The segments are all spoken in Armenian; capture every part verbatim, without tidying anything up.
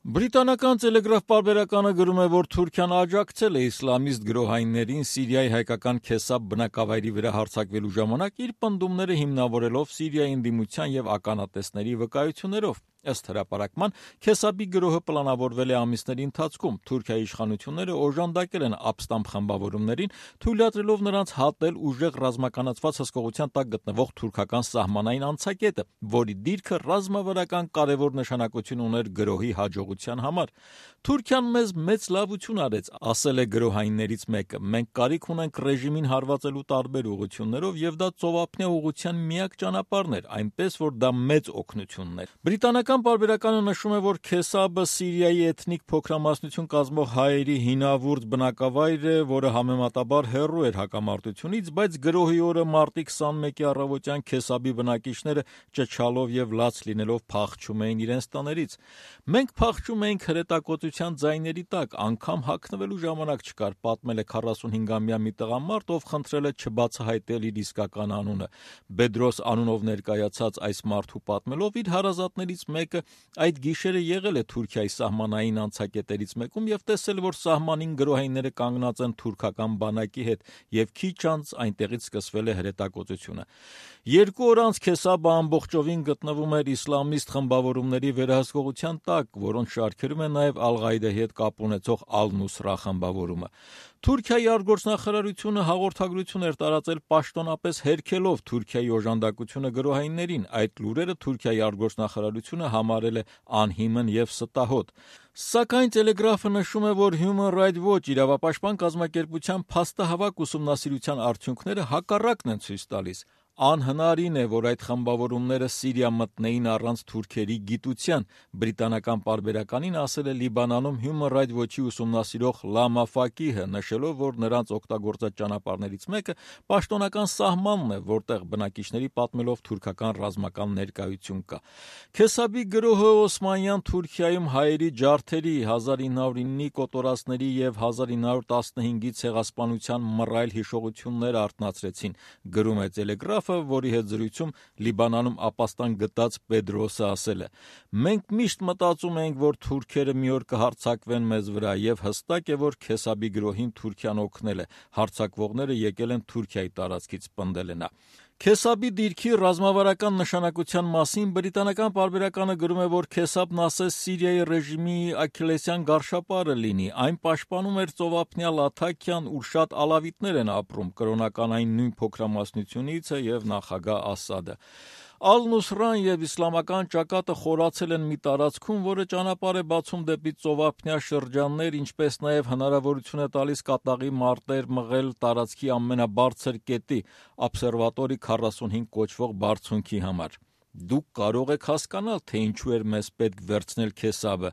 Բրիտանական Տելեգրաֆ պարբերականը գրում է, որ Թուրքիան աջակցել է իսլամիստ գրոհայիններին Սիրիայի հայկական Քեսաբ բնակավայրի վրա հարձակվելու ժամանակ իր պնդումները հիմնավորելով Սիրիայի ընդդիմության և ականատեսների վկայություններով։ Ըստ հրապարակման, Քեսաբի գրոհը պլանավորվել է ամիսների ընթացքում։ Թուրքիայի իշխանությունները օժանդակել են ապստամբ խմբավորումներին, թույլատրելով նրանց հատել ուժեղ ռազմականացված հսկողության տակ գտնվող թուրքական սահմանային անցակետը, որի դիրքը ռազմավարական կարևոր նշանակություն ուներ գրոհի հաջողության համար։ Թուրքիան մեզ մեծ լավություն արեց, ասել է գրոհայիններից մեկը։ Մենք կարիք ունենք ռեժիմին հարվածելու տարբեր ուղղություններով, և դա ծովափնյա ուղղության միակ ճանապարհն էր, այնպես որ դա մեծ օգնությունն էր։ Բրիտանական պարբերականը նշում է, որ Քեսաբը Սիրիայի էթնիկ փոքրամասնություն կազմող հայերի հինավուրց բնակավայր է, որը համեմատաբար հեռու էր հակամարտությունից, բայց գրոհի օրը մարտի քսանմեկի առավոտյան Քեսաբի բնակիչները ճչալով և լաց լինելով փախչում էին իրենց տներից։ Մենք փախչում էինք հրետակոծության ձայների տակ, անգամ հագնվելու ժամանակ չկար, պատմել է քառասունհինգամյա մի տղամարդ, ով խնդրել է չբացահայտել իր իսկական անունը։ Բեդրոս անունով ներկայացած այս մարդու պատմելով, իր հարազատներից մեկը այդ գիշերը եղել է Թուրքիայի սահմանային անցակետերից մեկում և տեսել, որ սահմանին գրոհայինները կանգնած են թուրքական բանակի հետ, և քիչ անց այնտեղից սկսվել է հրետակոծությունը։ Երկու օր անց Քեսաբը ամբողջովին գտնվում էր իսլամիստ խմբավորումների վերահսկողության տակ, որոնց շարքերում է նաև Ալ-Ղաիդայի հետ կապ ունեցող Ալ-Նուսրա խմբավորումը։ Թուրքիայի արտգործնախարարությունը հաղորդագրություն էր տարածել պաշտոնապես հերքելով Թուրքիայի օժանդակությունը գրոհայիններին։ Այդ լուրերը Թուրքիայի արտգործնախարարությունը համարել է անհիմն և ստահոդ։ Սակայն Տելեգրաֆը նշում է, որ Human Rights Watch իրավապաշտպան կազմակերպության փաստահավաք ուսումնասիրության արդյունքները հակառակն են ցույց տալիս։ Անհնարին է, որ այդ խմբավորումները Սիրիա մտնեին առանց թուրքերի գիտության, բրիտանական պարբերականին ասել է Լիբանանում Human Rights Watch-ի ուսումնասիրող Լամա Ֆակիհը, նշելով, որ նրանց օգտագործած ճանապարհներից մեկը պաշտոնական սահմանն է, որտեղ բնակիչների պատմելով թուրքական ռազմական ներկայություն կա։ Քեսաբի գրոհը Օսմանյան Թուրքիայում հայերի ջարդերի, հազար ինը հարյուր իննի կոտորածների և հազար ինը հարյուր տասնհինգի ցեղասպանության մռայլ հիշողություններ արթնացրեցին, գրում է Տելեգրաֆը, որի հետ զրույցում Լիբանանում ապաստան գտած Բեդրոսը ասել է. «Մենք միշտ մտածում էինք, որ թուրքերը մի օր կհարձակվեն մեզ վրա, և հստակ է, որ Քեսաբի գրոհին Թուրքիան օգնել է։ Հարձակվողները եկել են Թուրքիայի տարածքից», պնդել է նա։ Քեսաբի դիրքի ռազմավարական նշանակության մասին բրիտանական պարբերականը գրում է, որ Քեսաբն ասես Սիրիայի ռեժիմի աքիլլեսյան գարշապարը լինի։ Այն պաշտպանում էր ծովափնյա Լաթաքիան, ուր շատ ալավիտներ են ապրում, կրոնական այն նույն փոքրամասնությունից է և նախագահ Ասադը։ Ալ-Նուսրան և իսլամական ճակատը խորացել են մի տարածքում, որը ճանապարհ է բացում դեպի ծովափնյա շրջաններ, ինչպես նաև հնարավորություն է տալիս կատաղի մարտեր մղել տարածքի ամենաբարձր կետի՝ Observatory քառասունհինգ կոչվող բարձունքի համար։ Դուք կարող եք հասկանալ, թե ինչու էր մեզ պետք վերցնել Քեսաբը,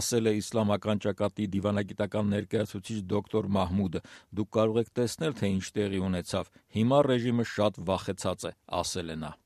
ասել է իսլամական ճակատի դիվանագիտական ներկայացուցիչ դոկտոր Մահմուդը։ Դուք կարող եք տեսնել, թե ինչ տեղի ունեցավ։ Հիմա ռեժիմը շատ վախեցած է, ասել է նա։